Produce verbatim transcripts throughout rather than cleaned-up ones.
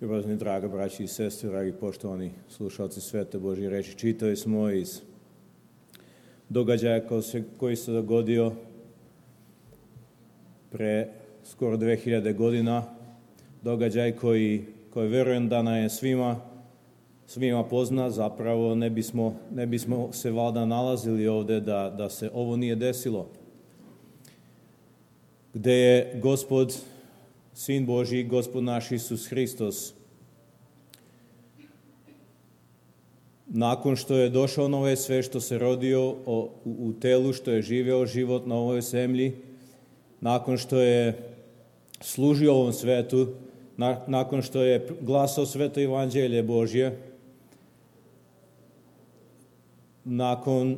Ljubazni, draga braći i sestre, dragi poštovani slušalci Svete Božje reči, čitali smo iz događaja koji se dogodio pre skoro dve hiljade godina, događaj koji, koji verujem da nam je svima, svima pozna, zapravo ne bismo, ne bismo se valjda nalazili ovde da, da se ovo nije desilo. Gde je Gospod, Sin Božji, Gospod naš Isus Hristos, nakon što je došao na ovaj svet, što se rodio u, u telu, što je živeo život na ovoj zemlji, nakon što je služio ovom svetu, na, nakon što je glasao sveto evanđelje Božje, nakon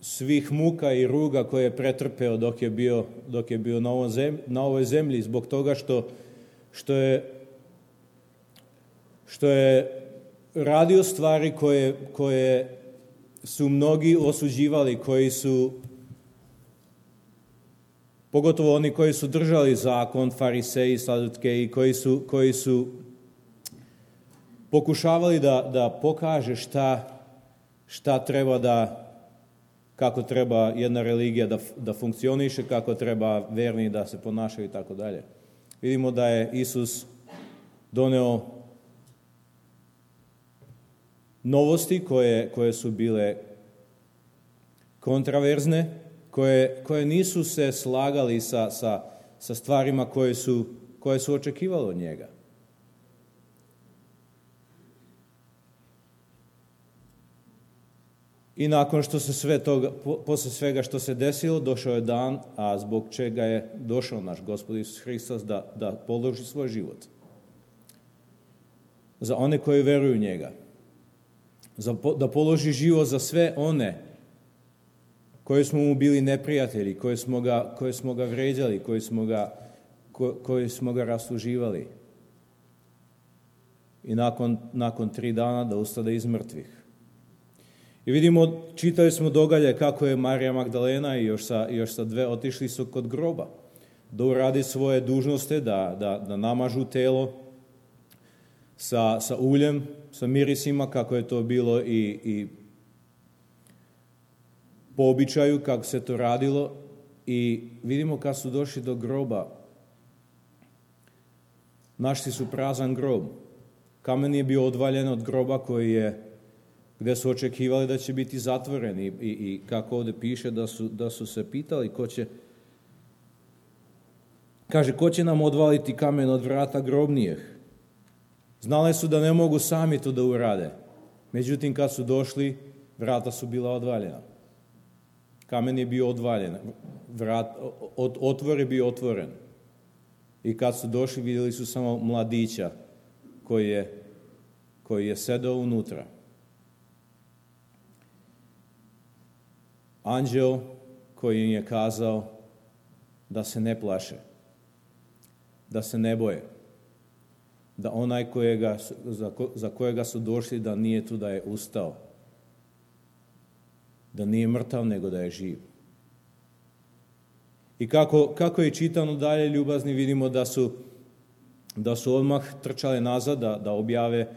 svih muka i ruga koje je pretrpeo dok je bio, dok je bio na, ovom zemlji, na ovoj zemlji, zbog toga što, što, je, što je radio stvari koje, koje su mnogi osuđivali, koji su, pogotovo oni koji su držali zakon, fariseji, sadutkeji, koji su, koji su pokušavali da, da pokaže šta, šta treba da, kako treba jedna religija da, da funkcioniše, kako treba verni da se ponašaju i tako dalje. Vidimo da je Isus doneo novosti koje, koje su bile kontraverzne, koje, koje nisu se slagali sa, sa, sa stvarima koje su, koje su očekivali od njega. I nakon što se sve toga, posle svega što se desilo, došao je dan, a zbog čega je došao naš Gospod Isus Hristos da, da položi svoj život. Za one koji veruju u njega. Za, da položi život za sve one koji smo mu bili neprijatelji, koji smo ga, koji smo ga vređali, koji smo ga, ko, koji smo ga rasuživali. I nakon, nakon tri dana da ustade iz mrtvih. I vidimo, čitali smo događaj kako je Marija Magdalena i još sa, još sa dve otišli su kod groba da uradi svoje dužnosti, da, da, da namažu telo sa, sa uljem, sa mirisima, kako je to bilo i, i po običaju, kako se to radilo. I vidimo kad su došli do groba, našli su prazan grob. Kamen je bio odvaljen od groba koji je gde su očekivali da će biti zatvoreni i, i kako ovde piše da su, da su se pitali ko će, kaže, ko će nam odvaliti kamen od vrata grobnijih? Znali su da ne mogu sami to da urade. Međutim, kad su došli, vrata su bila odvaljena. Kamen je bio odvaljen, vrat, od, otvor je bio otvoren. I kad su došli, vidjeli su samo mladića koji je, koji je sedao unutra. Anđeo koji im je kazao da se ne plaše, da se ne boje, da onaj kojega, za, ko, za kojega su došli da nije tu, da je ustao, da nije mrtav nego da je živ. I kako, kako je čitano dalje, ljubazni, vidimo da su, da su odmah trčali nazad da, da, objave,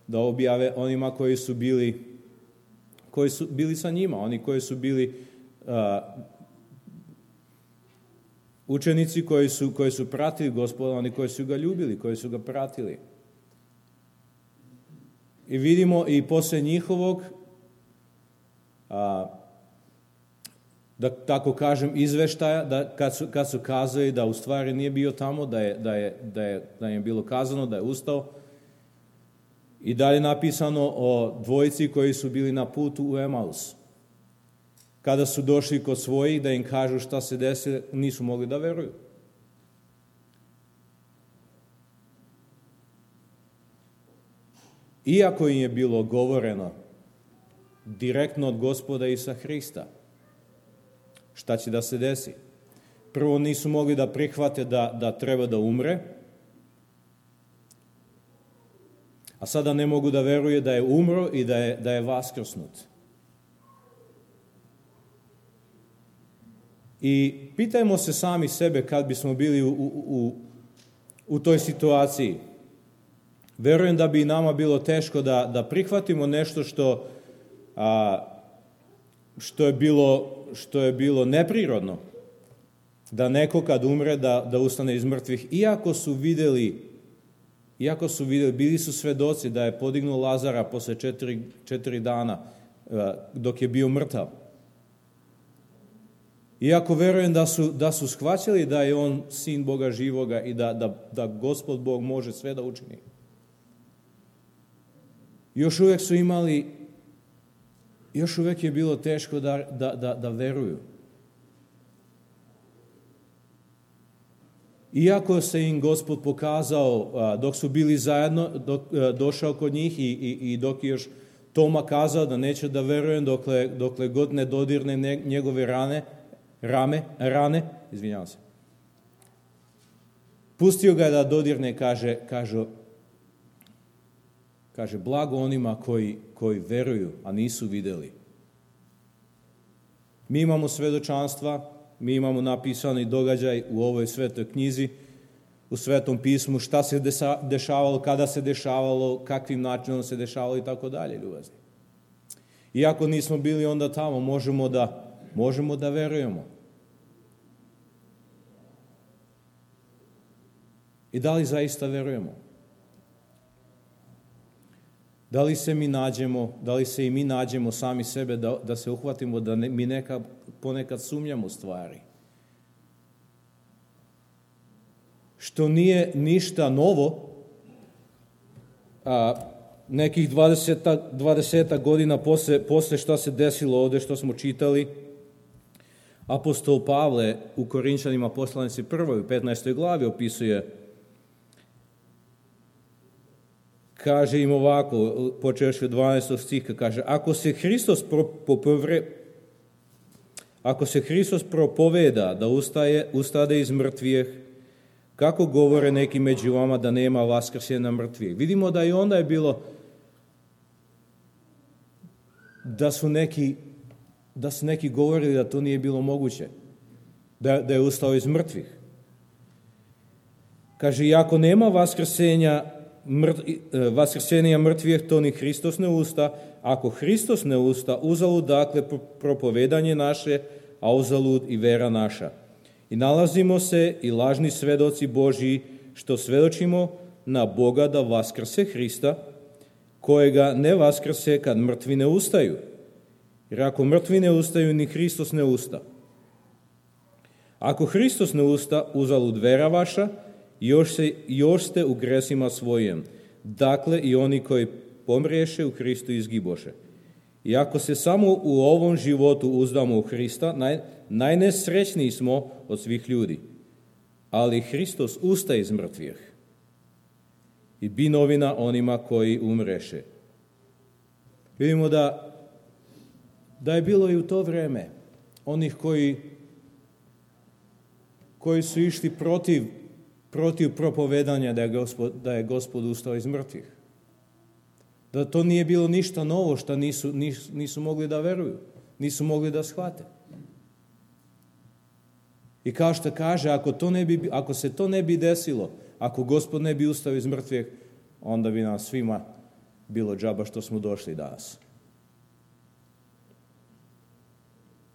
da objave onima koji su bili koji su bili sa njima, oni koji su bili uh, učenici koji su, koji su pratili Gospoda, oni koji su ga ljubili, koji su ga pratili. I vidimo i posle njihovog, uh, da tako kažem, izveštaja, da kad su, kad su kazali da u stvari nije bio tamo, da je, da je, da je, da je bilo kazano, da je ustao, i dalje napisano o dvojici koji su bili na putu u Emaus. Kada su došli kod svojih da im kažu šta se desi, nisu mogli da veruju. Iako im je bilo govoreno direktno od Gospoda Isusa Hrista šta će da se desi. Prvo nisu mogli da prihvate da, da treba da umre, a sada ne mogu da veruje da je umro i da je, da je vaskrsnut. I pitajmo se sami sebe kad bismo bili u, u, u toj situaciji. Verujem da bi i nama bilo teško da, da prihvatimo nešto što, a, što, je bilo, što je bilo neprirodno. Da neko kad umre da, da ustane iz mrtvih, iako su vidjeli, iako su vidjeli, bili su svedoci da je podignuo Lazara posle četiri, četiri dana a, dok je bio mrtav. Iako verujem da su, da su shvaćali da je on sin Boga živoga i da, da, da Gospod Bog može sve da učini. Još uvijek su imali, još uvijek je bilo teško da, da, da, da veruju. Iako se im Gospod pokazao dok su bili zajedno, dok, došao kod njih i, i, i dok je još Toma kazao da neće da verujem dokle, dokle god ne dodirne njegove rane, rame, rane, izvinjavam se. Pustio ga da dodirne, kaže, kaže, kaže blago onima koji, koji veruju, a nisu vidjeli. Mi imamo svedočanstva, mi imamo napisani događaj u ovoj svetoj knjizi, u Svetom pismu, šta se dešavalo, kada se dešavalo, kakvim načinom se dešavalo i tako dalje, ljubazni. Iako nismo bili onda tamo, možemo da, možemo da verujemo. I da li zaista verujemo? Da li se mi nađemo, da li se i mi nađemo sami sebe, da, da se uhvatimo, da ne, mi neka, ponekad sumnjamo stvari? Što nije ništa novo, a nekih dvadeset godina posle, posle što se desilo ovdje, što smo čitali, apostol Pavle u Korinčanima poslanici prvoj u petnaestoj glavi opisuje, kaže im ovako, počevši od dvanaestog stiha, kaže, ako se Hristos pro, popovre, ako se Hristos propoveda da ustaje, ustade iz mrtvijeh, kako govore neki među vama da nema vaskrsenja mrtvijeh? Vidimo da i onda je bilo da su neki, da su neki govorili da to nije bilo moguće, da, da je ustao iz mrtvih. Kaže, iako nema vaskrsenja Mrt, vaskrsenja mrtvijeh, to ni Hristos ne usta. Ako Hristos ne usta, uzalud dakle propovedanje naše, a uzalud i vera naša. I nalazimo se i lažni svedoci Božji, što svedočimo na Boga da vaskrse Hrista, kojega ne vaskrse kad mrtvi ne ustaju. Jer ako mrtvi ne ustaju, ni Hristos ne usta. Ako Hristos ne usta, uzalud vera vaša, Još, se, još ste u gresima svojim. Dakle, i oni koji pomriješe u Hristu izgiboše. I ako se samo u ovom životu uzdamo u Hrista, naj, najnesrećniji smo od svih ljudi. Ali Hristos ustaje iz mrtvih i bi novina onima koji umreše. Vidimo da, da je bilo i u to vrijeme onih koji, koji su išli protiv protiv propovedanja da je Gospod, da je Gospod ustao iz mrtvih. Da to nije bilo ništa novo što nisu, nisu, nisu mogli da veruju, nisu mogli da shvate. I kao što kaže, ako, to ne bi, ako se to ne bi desilo, ako Gospod ne bi ustao iz mrtvih, onda bi nam svima bilo džaba što smo došli danas.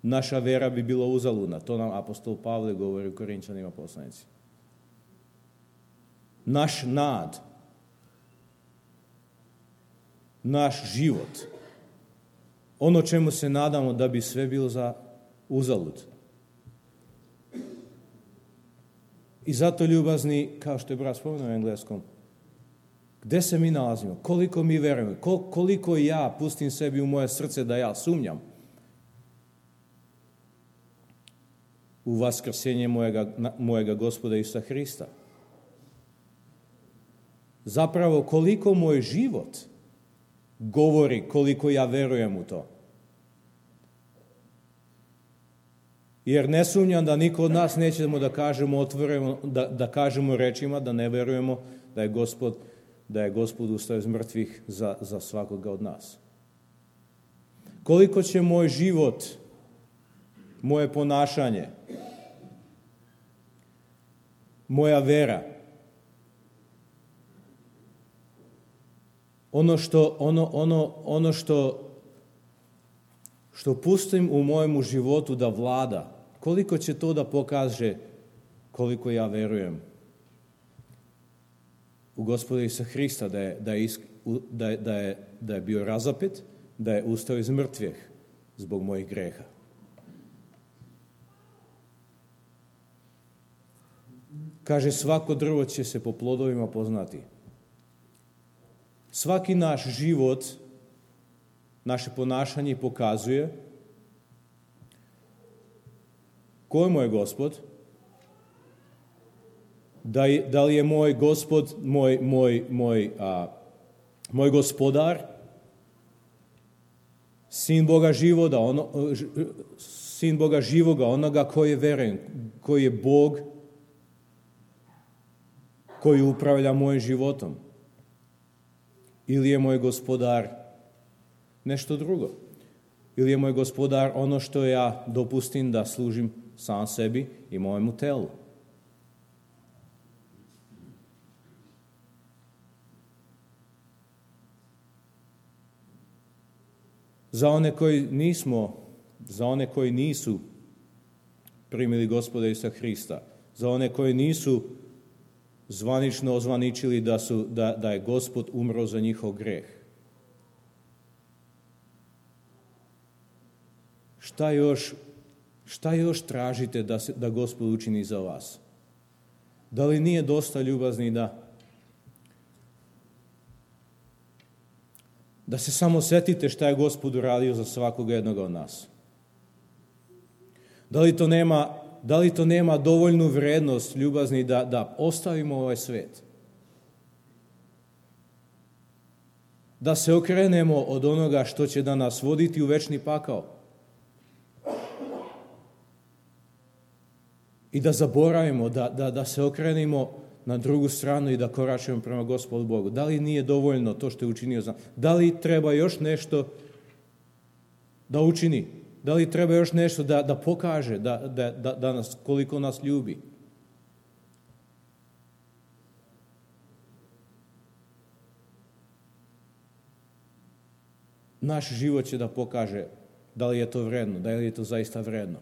Naša vera bi bila uzaludna. To nam apostol Pavle govori u Korinčanima poslanici. Naš nad, naš život, ono čemu se nadamo da bi sve bilo za uzalud. I zato, ljubazni, kao što je brat spomenuo u engleskom, gde se mi nalazimo, koliko mi verujemo, koliko ja pustim sebi u moje srce da ja sumnjam u vaskrsenje mojega, mojega Gospoda Isusa Hrista. Zapravo, koliko moj život govori koliko ja verujem u to. Jer ne sumnjam da niko od nas nećemo da kažemo otvoreno, da, da kažemo rečima da ne verujemo da je Gospod, da je Gospod ustao iz mrtvih za, za svakoga od nas. Koliko će moj život, moje ponašanje, moja vera ono što, ono, ono, ono što, što pustim u mojemu životu da vlada, koliko će to da pokaže koliko ja verujem u Gospoda Isusa Hrista, da je, da je, da je, da je, da je bio razapet, da je ustao iz mrtvih zbog mojih greha. Kaže, svako drvo će se po plodovima poznati. Svaki naš život, naše ponašanje pokazuje ko je moj Gospod, da, je, da li je moj Gospod, moj, moj, moj, a, moj gospodar, sin Boga živoga, ono, sin Boga živoga, onoga koji je veren, koji je Bog, koji upravlja mojim životom. Ili je moj gospodar nešto drugo. Ili je moj gospodar ono što ja dopustim da služim sam sebi i mojemu telu. Za one koji nismo, za one koji nisu primili Gospoda Isusa Hrista, za one koji nisu zvanično ozvaničili da, su, da, da je Gospod umro za njihov greh. Šta još, šta još tražite da, se, da Gospod učini za vas? Da li nije dosta ljubazni da da se samo setite šta je Gospod uradio za svakog jednog od nas? Da li to nema Da li to nema dovoljnu vrednost, ljubazni, da, da ostavimo ovaj svet? Da se okrenemo od onoga što će da nas voditi u večni pakao? I da zaboravimo, da, da, da se okrenemo na drugu stranu i da koračujemo prema Gospodu Bogu? Da li nije dovoljno to što je učinio za nas? Da li treba još nešto da učini? Da li treba još nešto da, da pokaže da, da, da, da nas, koliko nas ljubi? Naš život će da pokaže da li je to vredno, da li je to zaista vredno.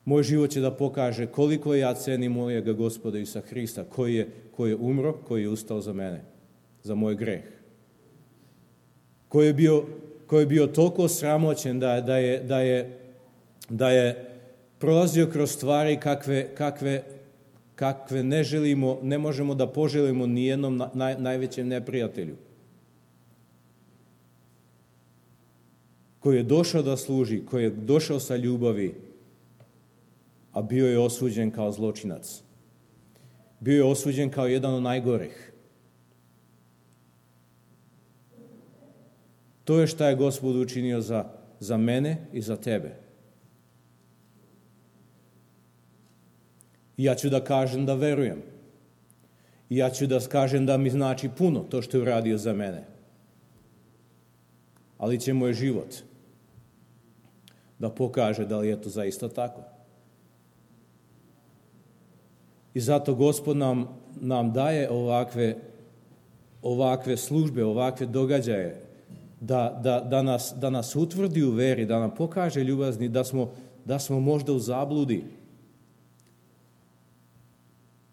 Moj život će da pokaže koliko ja cenim mojega Gospoda Isusa Hrista, koji je, koji je umro, koji je ustao za mene, za moj greh. Koji je bio koji je bio toliko sramoćen da, da, je, da, je, da je prolazio kroz stvari kakve, kakve, kakve ne želimo, ne možemo da poželimo ni jednom naj, najvećem neprijatelju. Koji je došao da služi, koji je došao sa ljubavi, a bio je osuđen kao zločinac. Bio je osuđen kao jedan od najgorih. To je šta je Gospod učinio za, za mene i za tebe. I ja ću da kažem da verujem. I ja ću da kažem da mi znači puno to što je uradio za mene. Ali će moj život da pokaže da li je to zaista tako. I zato Gospod nam, nam daje ovakve, ovakve službe, ovakve događaje, Da, da, da, nas, da nas utvrdi u veri, da nam pokaže ljubazni, da smo, da smo možda u zabludi,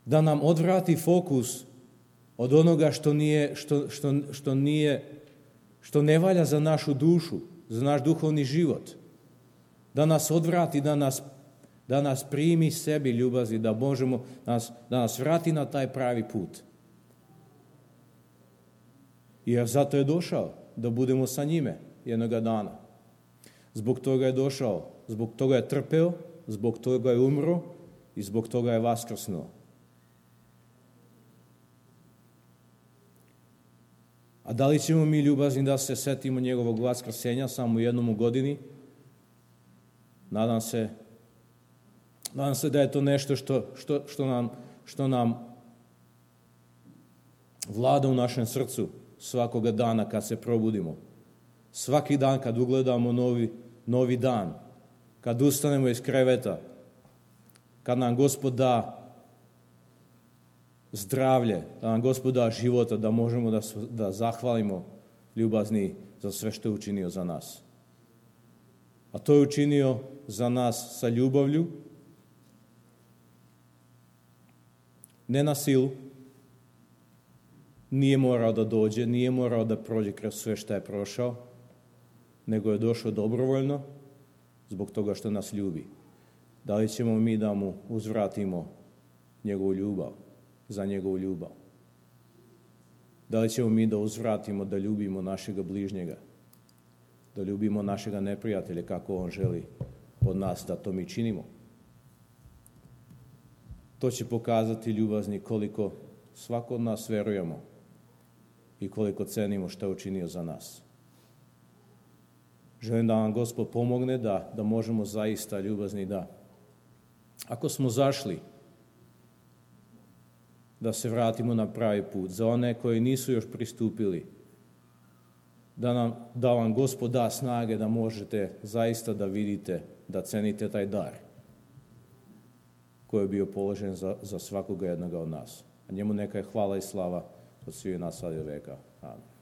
da nam odvrati fokus od onoga što nije, što, što, što nije, što ne valja za našu dušu, za naš duhovni život, da nas odvrati, da nas, da nas primi sebi ljubazni, da možemo, da nas, da nas vrati na taj pravi put. Jer zato je došao, da budemo sa njime jednoga dana. Zbog toga je došao, zbog toga je trpeo, zbog toga je umro i zbog toga je vaskrsnuo. A da li ćemo mi ljubazni da se setimo njegovog vaskrsenja samo jednom u godini? Nadam se, nadam se da je to nešto što, što, što, nam, što nam vlada u našem srcu svakoga dana kad se probudimo. Svaki dan kad ugledamo novi, novi dan, kad ustanemo iz kreveta, kad nam Gospod da zdravlje, da nam Gospod da života, da možemo da, da zahvalimo ljubazni za sve što je učinio za nas. A to je učinio za nas sa ljubavlju, ne na silu, nije morao da dođe, nije morao da prođe kroz sve što je prošao, nego je došao dobrovoljno zbog toga što nas ljubi. Da li ćemo mi da mu uzvratimo njegovu ljubav, za njegovu ljubav? Da li ćemo mi da uzvratimo da ljubimo našega bližnjega, da ljubimo našega neprijatelja kako on želi od nas da to mi činimo? To će pokazati, ljubazni, koliko svako od nas verujemo i koliko cenimo što je učinio za nas. Želim da vam Gospod pomogne da, da možemo zaista, ljubazni, da ako smo zašli, da se vratimo na pravi put. Za one koji nisu još pristupili, da, nam, da vam Gospod da snage da možete zaista da vidite, da cenite taj dar koji je bio položen za, za svakoga jednoga od nas. A njemu neka je hvala i slava od svih nas sad i veka. Amen.